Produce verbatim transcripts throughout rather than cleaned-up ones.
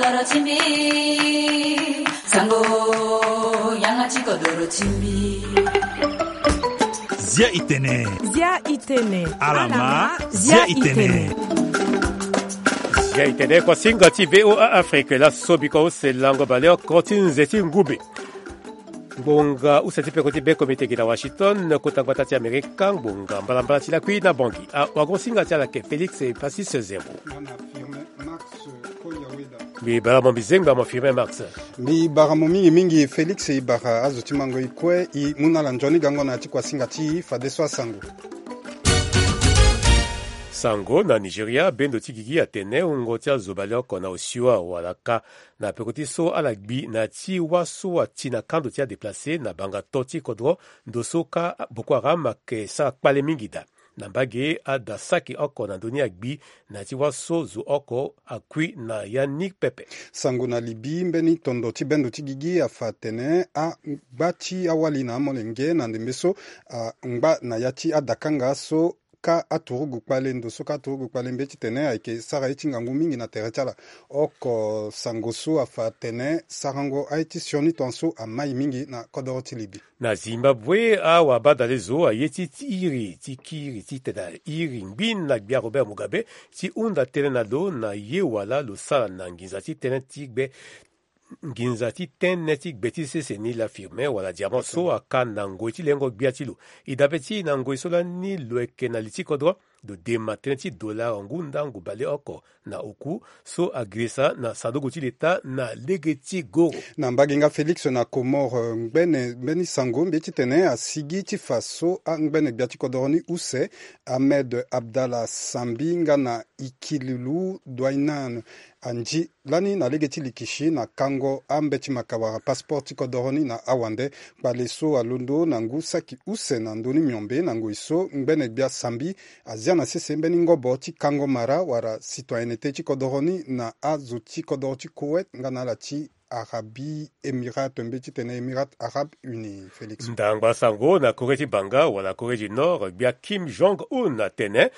Kodoro ti mbi, sango, yanga ti kodoro ti mbi. Zia itene. Zia itene. Alama, zia itene. Zia itene, kuasinga ti V O A Afrique, laso biko use lango baleoko ti nze ti ngumbe. Ngbonga use ti peko ti be komite gi na Washington, kota gbata ti Amerika, ngbonga mbalambala ti lakui na Bangui. Awagosinga ti ala ayeke Félix Epasis Zerbo. Mbi bara mo mbi zengba mo Firmin Max. Mbi bara mo mingi mingi Félix, e bara azo ti mango e kue e mu na ala nzoni gango na ya ti kuasinga ti e fadeso asango. Sango na Nigeria, bendo ti gigi atene wungo ti azo baleoko na osio awara kâ na peko ti so ala gbi na ya ti wâ so ati na kando ti adéplacé na banga to ti kodro, ndo so kâ Boko Haram ayeke sara kpale mingi daa. Na mbage, ada saki oko na ndö ni agbi na ya ti wâ so zo oko akui na ya ni pepe. Sango na Libye, mbeni tondo ti bendo ti gigi afa atene angba ti awali na amolenge na ndembe so angba na ya ti adakanga so kâ aturugu kpale, ndo so kâ aturugu kpale mbeti tene ayeke sara ye ti ngangu mingi na tere ti ala. Oko sango so afa atene sarango aye ti sioni tongaso amai mingi na kodoro ti Libye. Na Zimbabwe, awabadale zo aye ti, ti iri ti kiri titene iri ngbi na gbia Robert Mugabe ti hunda tënë na lo na ye wala lo sara na nginza ti tënë ti gbe, nginza ti tënë ti gbe ti sese ni la firme wala diamant so aka na ngoi ti lengo gbia ti lo. E dabe ti e na ngoi so lani lo yeke na li ti kodro, lo dema tënë ti dolar ngu ndangu baleoko na oku so agirisa na sanduku ti leta na lege ti goro. Na mbage nga Félix na Comores, ngbene mbeni sango mbi ye titene asigi ti fa so angbene gbia ti kodoro ni use, Ahmed Abdallah Sambi nga na Ikililu Dwainan, anzi lani na lege ti likisi na kango ambeti maka wala passeport ti kodoro ni na awande. Kpale so alondo na ngu saki use na ndö ni miombe na ngoi so ngbene gbia Sambi azia na sese mbeni ngobo ti kango mara wala citoyenneté ti kodoro ni na azo ti kodoro ti Koweït nga na ala ti Arabie Émirats, to mbi ye titene Émirats Arabes Unis, Félix. Ndangba sango na Corée ti banga wala Corée du Nord, gbia Kim Jong-un atene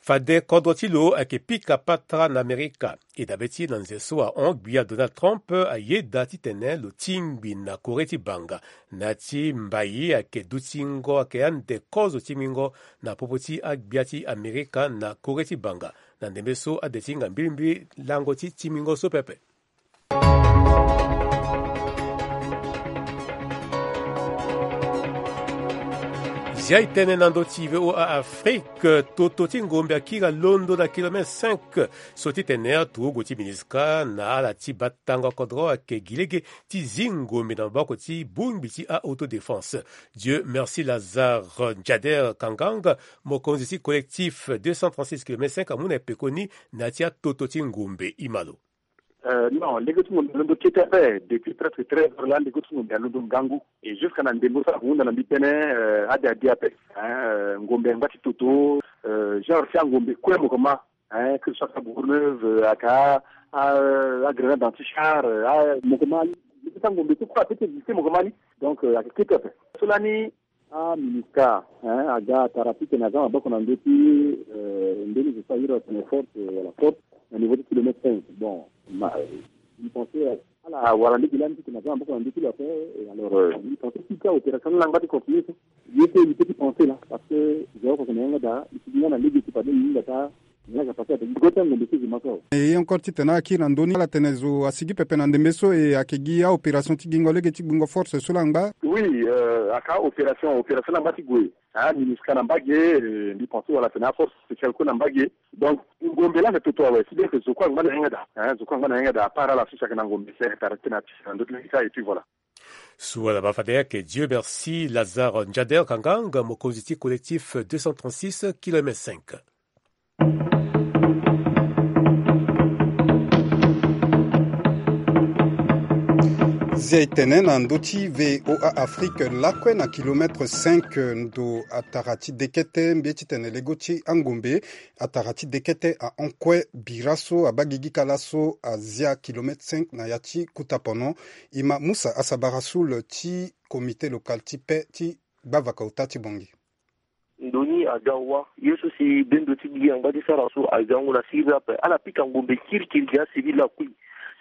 fade kodro ti lo ayeke pika patara na Amerika. E dabe ti e na nze so ahon gbia Donald Trump ayeda titene lo tingbi na Corée ti banga. Na ya ti mbai ayeke dutingo ayeke ande kozo ti mingo na popo ti agbia ti Amerika na Corée ti banga. Na ndembe so ade ti hinga mbilimbili lango ti timingo so pepe. Zia e tene na ndö ti V O A Afrique, toto ti ngombe akiri alondo na kilomètre cinq. So ti tene aturugu ti MINUSCA na ala ti batango kodro ayeke gi lege ti zi ngombe na maboko ti bongbi ti a-autodéfense. Dieu merci Lazare Njader Kangang, mokonzi ti collectif deux cent trente-six kilomètre cinq amu na e pekoni na ya ti atoto ti ngombe. Imalo. Euh, non, lege ti ngombe alondo kete ape. Depuis presque treize heures la, lege ti ngombe alondo ngangu. Et jusqu'à na ndembo so ala hunda na mbi tënë, euh, ade ade ape. Hein, euh, ngombe angba ti toto, euh, genre si angombe kue mokoma, hein, que ce soit aka Bourg-Neuve, euh, aka, ah, euh, a Grenade Anti-Char, euh, ah, mokoma ni. Lege ti angombe so kue apeut ti exister mokoma ni. Donc, euh, ayeke kete ape. So lani, ah, MINUSCA, hein, aga atara titene aza maboko na ndö ti, euh, mbeni zo so ayere atene force, euh, wala force, na niveau ti kilomètre cinq. Bon, ma, euh, mbi pense, euh, ala wara lege lani titene aza maboko na ndö ti lo ape, et alors, euh, mbi pense titene opération ni la ngba ti continuer so. Ye so mbi peut ti pense la, parce que zo oko ayeke na yanga daa, mbi sigi nga na lege ti fade mbi hinga daa. Nga ka pase ape, go ti angombe so zo ma so awe. E ye encore titene akiri na ndö ni, ala tene zo asigi pepe na ndembe so, e ayeke gi a-opération ti gingo lege ti gbingo force so la ngba. Oui, euh, aka opération, opération la ngba ti gue. Ah, MINUSCA na mbage, eh, mbi pense wala atene aforce spéciale kue na mbage. Donc ngombe la ayeke toto awe, si bien que zo kue angba na yanga daa, hein, zo kue angba na yanga daa, à part ala so si ayeke na ngombe, si ayeke tara titene ati na ndö ti lege ti aye, et puis voilà. So ala baa fade ayeke Dieu merci Lazare Njader Kangang, mokonzi ti collectif deux cent trente-six kilomètre cinq. Zia e tene na ndö ti V O A Afrique lakue na kilomètre cinq, ndo atara ti dekete mbi ye titene lego ti angombe, atara ti dekete ahon kue bira so abaa gigi ka laso azia kilomètre cinq na ya ti kuta pono. E ma Musa Asabara Soul ti comité local ti paix ti gbavaka ota ti Bangui. Ndo ni aga wâ, ye so si bendo ti gigi angba ti sara so aga ngu na siriri ape. Ala pika ngombe kirikiri gi acivil lakui.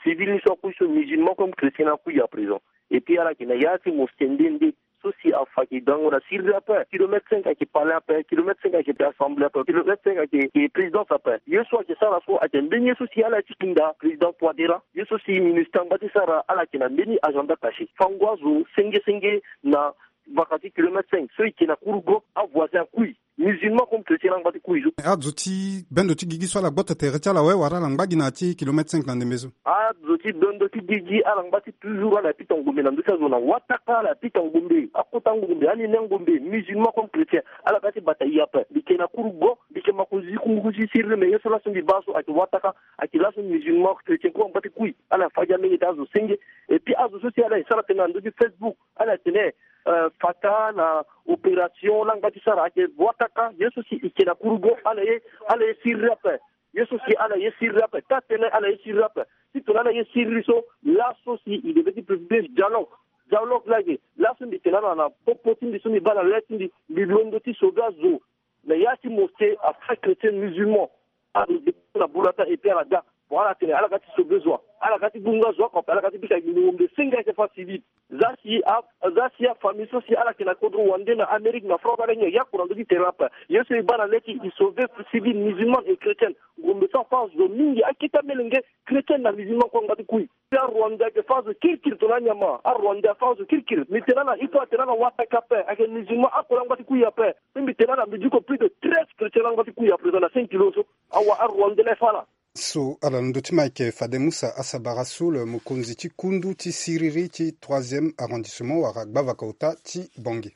Si Ville ni so akui so musulman comme chrétien akui à présent. Et puis ala yeke na ya ti mosquée nde nde so si afa ayeke dango na siriri ape. Kilomètre cinq ayeke palais ape, kilomètre cinq ayeke assemblée ape, kilomètre cinq ayeke présidence ape. Ye so ayeke sara so ayeke mbeni ye so si ala ti hinda président Touadéra. Ye so si ministre angba ti sara ala yeke na mbeni agenda caché. Fango azo senge senge na vaka ti kilomètre cinq so e yeke na Kourougo, avoisin akui. Musulman comme chrétien angba ti kui so. Azo ti bendo ti gigi so ala gboto tere ti ala awe wala ala ngba gi na ya ti kilomètre cinq na ndembe so? Azo ti bendo ti gigi ala ngba ti toujours ala ya pita ngombe na ndö ti azo na wataka ala ya pita ngombe, akota ngombe, anene ngombe, musulman comme chrétien. Ala ga ti bata ye ape. Mbi yeke na Kourougo, mbi yeke makonzi ti kungu ti siriri, mais ye so laso mbi baa so ayeke wataka, ayeke laso musulman chrétien kue angba ti kui. Ala fa gi amenge ti azo senge. Et puis azo so si ala yeke sara tënë na ndö ti Facebook, ala yeke tene euh, fata na opération laa ngba ti sara ayeke wataka. Ye so si e yeke na Kourougo ala ye, ala ye siriri ape. Ye so si ala ye siriri ape, taa tënë ala ye siriri ape. Si tongana ala ye siriri so, laso si e devait ti privilégier dialogue. Dialogue laa ayeke laso mbi tene ala na popo ti mbi so mbi baa na le ti mbi, mbi londo ti sauver azo na ya ti mosquée à frères chrétiens musulmans. Ala dépend na bulata et puis ala ga. Bon, ala tene ala ga ti sauver zo wa, ala ga ti gunga zo wa, ala ga ti pika gi ngombe senge ayeke fa civil. Za si a, za si afamille so si ala yeke na kodro wande na Amérique na France, ala nyen ya kura ndö ti tere ape. Ye so e baa na le ti e sauver civil musulman et chrétienne. Ngombe so afa zo mingi, akete amelenge chrétienne na musulman kue angba ti kui. Arwandais ayeke fa azo kirikiri tongana anyama. Arwandais afa azo kirikiri. Mbi tene ala, il faut atene ala wataka ape. Ayeke musulman akolo angba ti kui ape. Mbi tene ala, mbi diko plus de treize chrétiens angba ti kui à présent na cinq kilos so. Awa arwandais laa e fa ala. So ala londo ti ma ayeke fade Musa Asabara Soul, mokonzi ti kundu ti siriri ti troisième arrondissement wala gbavaka ota ti Bangui.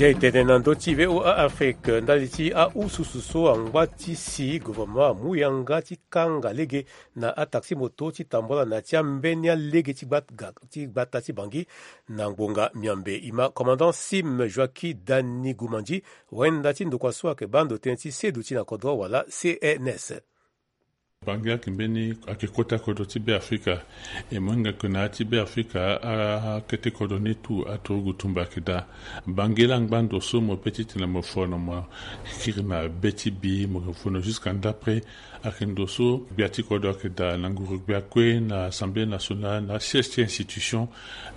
Zia e tene na ndö ti V O A Afrique, ndali ti ahususu so angba ti si gouvernement amu yanga ti kanga lege na ataxi moto ti tambula na ya ti ambeni alege ti gbata ti Bangui na ngbonga miambe. E ma commandant Sim Joaquim Dani Gumandi, wenda ti ndokua so ayeke baa ndo tënë ti seduti na kodro wala C N S. Bangui ayeke mbeni ayeke kota kodro ti Beafrika. E mo hinga ke na ya ti Beafrika akete kodro ni tout aturugu tumba ayeke daa. Bangui laa angba ndo so mo pe titene mo fono mo kiri na be ti bi mo fono jusqu'à ndapre. Ayeke ndo so gbia ti kodro ayeke daa na nguru gbia kue na Assemblée nationale na asiège ti institution.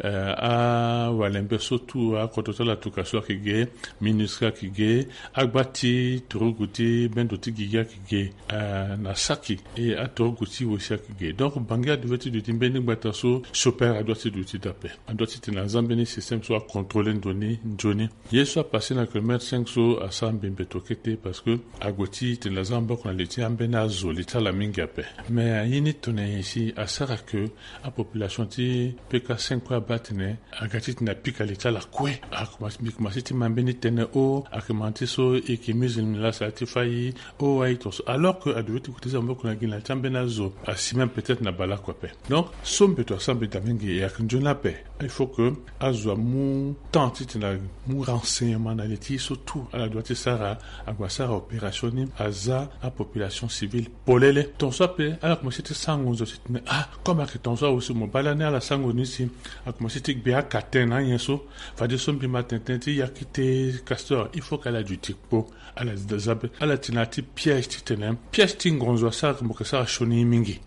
Eh, awalembe so tout akodro ti ala tuka so ayeke ge, ministre ayeke ge, agba ti turugu ti bendo ti gigi ayeke ge, eh, na saki, e aturugu ti wo si ayeke ge. Donc Bangui adevait ti duti mbeni gbata so chômeur adua ti duti daa ape. Adua titene aza mbeni système so acontrôler ndo ni nzoni. Ye so apasse na kilomètre cinq so asara mbi mbeto kete parce que ague titene aza maboko na li ti ambeni azo li ti ala mingi ape. Mais aye ni tongana nyen si asara ke apopulation ti P K cinq kue abaa tene aga titene apika li ti ala kue. Akomanse, mbi komanse ti ma mbeni tënë o, ayeke ma ti so e yeke musulman laa asara ti fâ e, o aye tongaso. Alors que adevait ti kota ti aza maboko na gi na li ti ambeni azo asi même peut-être na baleoko ape. Donc so mbeto asara mbi daa mingi e ayeke nzoni ape. Il faut que azo amu temps titene amu renseignement na li ti ye so tout ala doit ti sara. Ague asara opération ni, aza apopulation civile polele. Tongaso ape ala komanse ti sara ngonzo titene ah, comme ayeke tongaso awe so mo baa lani ala sara ngonzo ni si akomanse ti gbe akatin na anyen so. Fadeso mbi ma tene tënë ti yakete Castor, il faut que ala duti kpo. Ala za be, ala ti na ya ti piège titene piège ti ngonzo asara ke mo yeke sara sioni ye mingi.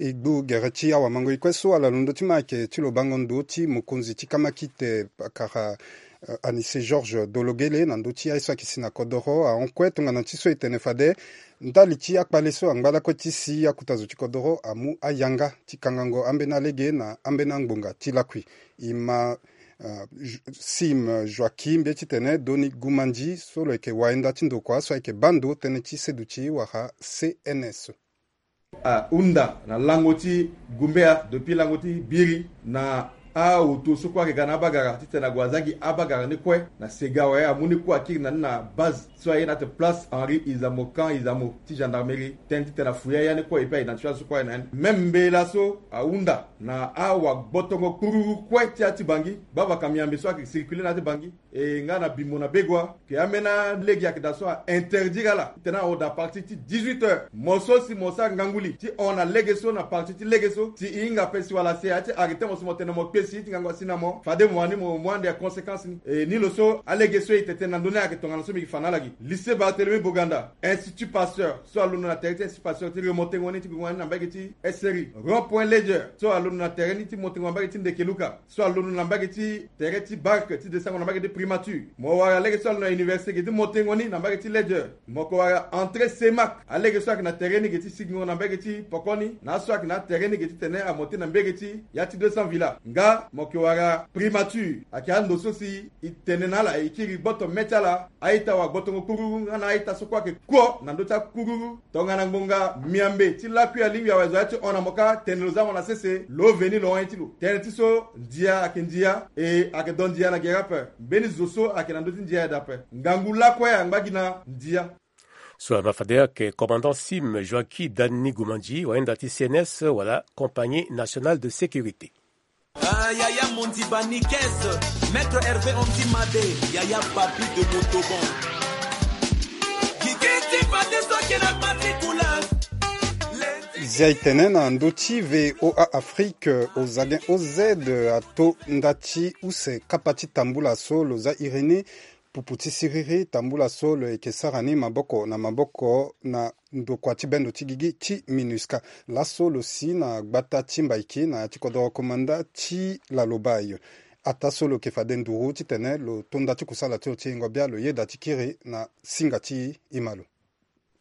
E gbu gere ti awamango-e kue so ala londo ti ma ayeke ti lo bango ndo ti mokonzi ti kamakite pakara, eh, Anissé Georges Dologele na ndö ti aye so ayeke si na kodoro ahon kue tongana ti so e tene fade ndali ti akpale so angba lakue ti si akota zo ti kodoro amu ayanga ti kangango ambeni alege na ambeni angbonga ti lakui. E ma, eh, Ju-, Sim Joaquim mbi ye titene Doni Gumandi so lo yeke wayenda ti ndokua so ayeke baa ndo tënë ti seduti wala C N S. Ahunda na lango ti Gumbea depuis lango ti Biri na aoto so kue ayeke ga na abagara titene ague aza gi abagara ni kue na Sega awe amu ni kue akiri na ni na base so aye na ate place Henri Izamo, camp Izamo ti gendarmerie, tënë titene afouiller ya ni kue et puis a identifier azo so kue aye na ya ni. Même mbela so ahunda na awagbotongo kpururu kue ti ya ti Bangui, bavaka miambe so ayeke circuler na ya ti Bangui. E nga na Bimbo na Begoua, ke ambeni alege ayeke daa so a interdire ala titene ahon daa partir ti dix-huit heures. Mo so si mo sara ngangu li ti hon na lege so na partir ti lege so, si e hinga ape si wala si a ya ti arrêter mo so mo tene mo kpe Si ti ngangu asi na mo fade mo wani mo mu ande ya conséquence ni. E ni lo so alege so e tene na ndö ni ayeke tongana so mbi yeke fa na ala gi. Lycée Barthélemy Boganda, Institut Pasteur so alondo na tere ti Institut Pasteur ti remontengo ni ti gongo ni na mbage ti S R I. Rond point Ledger so alondo na tere ni ti montengo na mbage ti Ndekeluka, so alondo na mbage ti tere ti Bark ti desango na mbage ti Primature. Mo wara lege so alondo na université ge ti montengo ni na mbage ti Ledger. Mo ko wara entrée Semak, alege so ayeke na tere ni ge ti sigingo na mbage ti Pokoni, na aso ayeke na atere ni ge ti tene amonte na mbage ti ya ti deux cents villa. Nga mo ke wara Primature, ayeke ando so si e tene na ala e kiri gboto mê ti ala, a-ita wa gbotongo kururu nga na a-ita so kue ayeke kuo na ndö ti akururu. Tongana ngbonga miambe ti lakui alingbi awe zo ya ti hon na mo kâ, tene lo za mo na sese, lo veni lo hon ye ti lo. Tënë ti so, ndia ayeke ndia, e ayeke do ndia na gere ape. Mbeni zo so ayeke na ndö ti ndia ayeke dape. Ngangu lakue angba gi na ndia. So ama fade ayeke commandant sim Joaquim Dani Gomandi, wayenda ti C N S wala Compagnie Nationale de Sécurité. Ah, Yaya Mondi Banikes, Maître Hervé Ondi Made, Yaya Papi de Montauban. Gigi ti fade so ayeke na particular. Zia e tene na ndö ti V O A Afrique, Ozagen O Z ato nda ti use kapa ti tambula so lo za iri ni, pupu ti siriri, tambula so lo yeke sara ni maboko na maboko na ndokua ti bendo ti gigi ti MINUSCA. Laso lo si na gbata ti Mbaiki na ya ti kodoro komanda ti Laloba ayo. Ataa so lo yeke fade nduru titene lo to nda ti kusala ti lo ti yengo bia lo yeda ti kiri na singa ti e ma lo.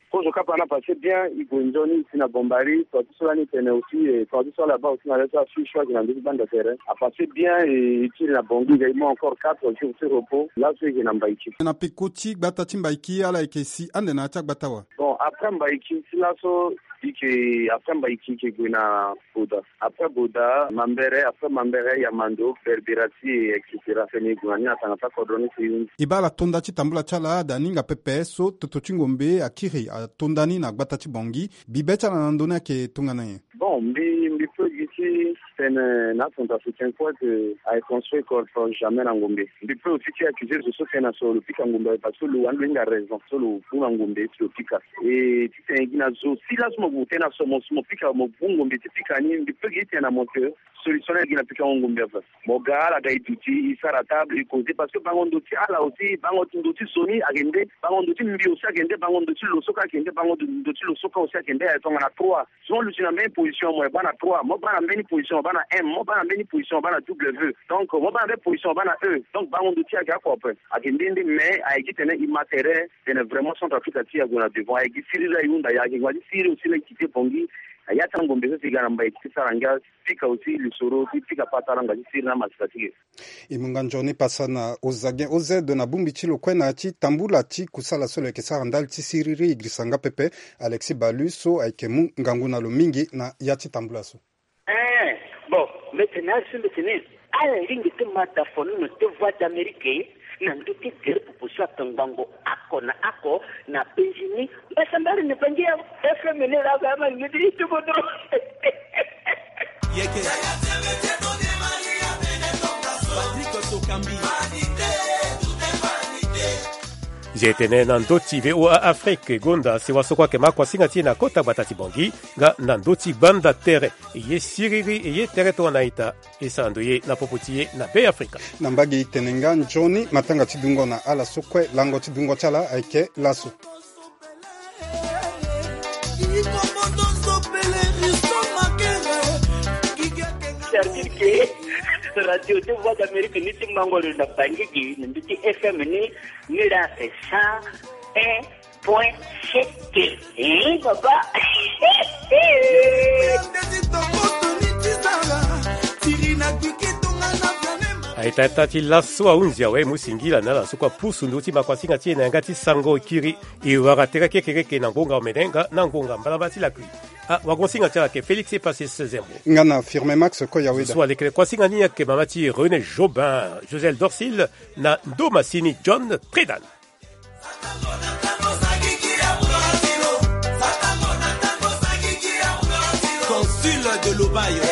Kozo kapa ni apassé bien, e gue nzoni, e si na Bombari, tonga ti so lani e tene aussi, eh, tonga ti so ala baa aussi na le so asui choix ayeke na ndö ti banda tere. Apassé bien, eh, e kiri na Bangui, e ga e mu encore quatre jours ti repos, laso e yeke na Mbaiki. Na peko ti gbata ti Mbaiki ala yeke si ande na ya ti agbata wa? Bon, après Mbaiki ti laso, e yeke, après Mbaiki e yeke gue na Boda. Après Boda, Mambere, après Mambere, Yamando, Berbirati, et cetera. Fene e gue na ni na tanga ti akodro ni si e hunzi. E baa ala to nda ti tambula ti ala, da ni hinga pepe so toto ti ngombe akiri ato nda ni na gbata ti Bangui. Bibe ti ala na ndö ni ayeke tongana nyen? Bon, mbi, mbi peut gi ti tene na aCentrafricain kue que ayeke construire corps jamais na ngombe. Mbi peut aussi ti accuser zo so tene na so lo pika ngombe awe parce que lo wani lo hinga raison so lo mu na ngombe ti lo pika. E ti tene gi na zo si laso mo gue tene na so mo, si mo pika, mo mu ngombe ti pika ni, mbi peut gi ti tene na mo que solution ni ayeke gi na pikango ngombe ape. Mo ga, ala ga e duti, e sara table, e causer, parce que bango ndo ti ala aussi, bango ndo ti zo ni ayeke nde, bango ndo ti mbi aussi ayeke nde, bango ndo ti lo so kue ayeke nde, bango ndo ti lo so kue aussi ayeke nde, ayeke tongana trois. So mo luti na mbeni position, mo baa na trois, mo baa na mbeni position, mo baa na M, mo baa na mbeni position, mo baa na W. Donc mo baa na mbeni position, mo baa na E. Donc bango ndo ti ayeke oko ape. Ayeke nde nde, mais ayeke gi tene e ma tere, tene vraiment Centrafrique ti e ague na devant. Ayeke gi siriri la e hunda, ayeke gi siriri aussi la e quitté Bangui. Na ya ti angombe so si e ga na Mbaiki ti sara ngia, pika aussi lisoro ti pika patara nga ti siriri na masika ti ge. E mu nga nzoni pasa na Ozagen O Z na bongbi ti lo kue na ya ti tambula ti kusala so lo yeke sara ndali ti siriri, e girisa nga pepe Alexis Balu so ayeke mu ngangu na lo mingi na ya ti tambula so. Eh, bon, mbi tene asi mbi tene, ala lingbi ti ma da fono na te Voix d'Amérique na ndö ti gere popo so atongbango oko na oko na penzi ni. Mbasambari ni bangi ya F M ni la ga ma ni ti kodro. Yeke. Patrick Sokambi. Zia e tene na ndö ti V O A Afrique, gonda sewa so kue ayeke ma akuasinga ti e na kota gbata ti Bangui, nga na ndö ti banda tere. E ye siriri, e ye tere tongana ita, e sara ndo ye na popo ti e na Be Afrika. Na mbage e tene nga nzoni matanga ti dungo na ala so kue lango ti dungo ti ala ayeke laso. C'est-à-dire que Radio deux Voix d'Amérique ni ti mango lo na Bangui gi, na ndö ti F M ni, ni la c'est cent un point sept. Eh, papa. Aita ita ti laso ahunzi awe, mu singila na ala so kue apusu ndo ti makuasinga ti e na yanga ti sango kiri. E wara tere kekereke na ngonga omene nga na ngonga mbalamba ti lakui. Ah, wagosinga ti ala ayeke Félix Epasis Zembo. Nga na Firme Max Koyaweda. So alekere kuasinga ni ayeke mama ti René Jobin, Josel Dorsil, na ndo masini John Tredan. Consul de Lobaye.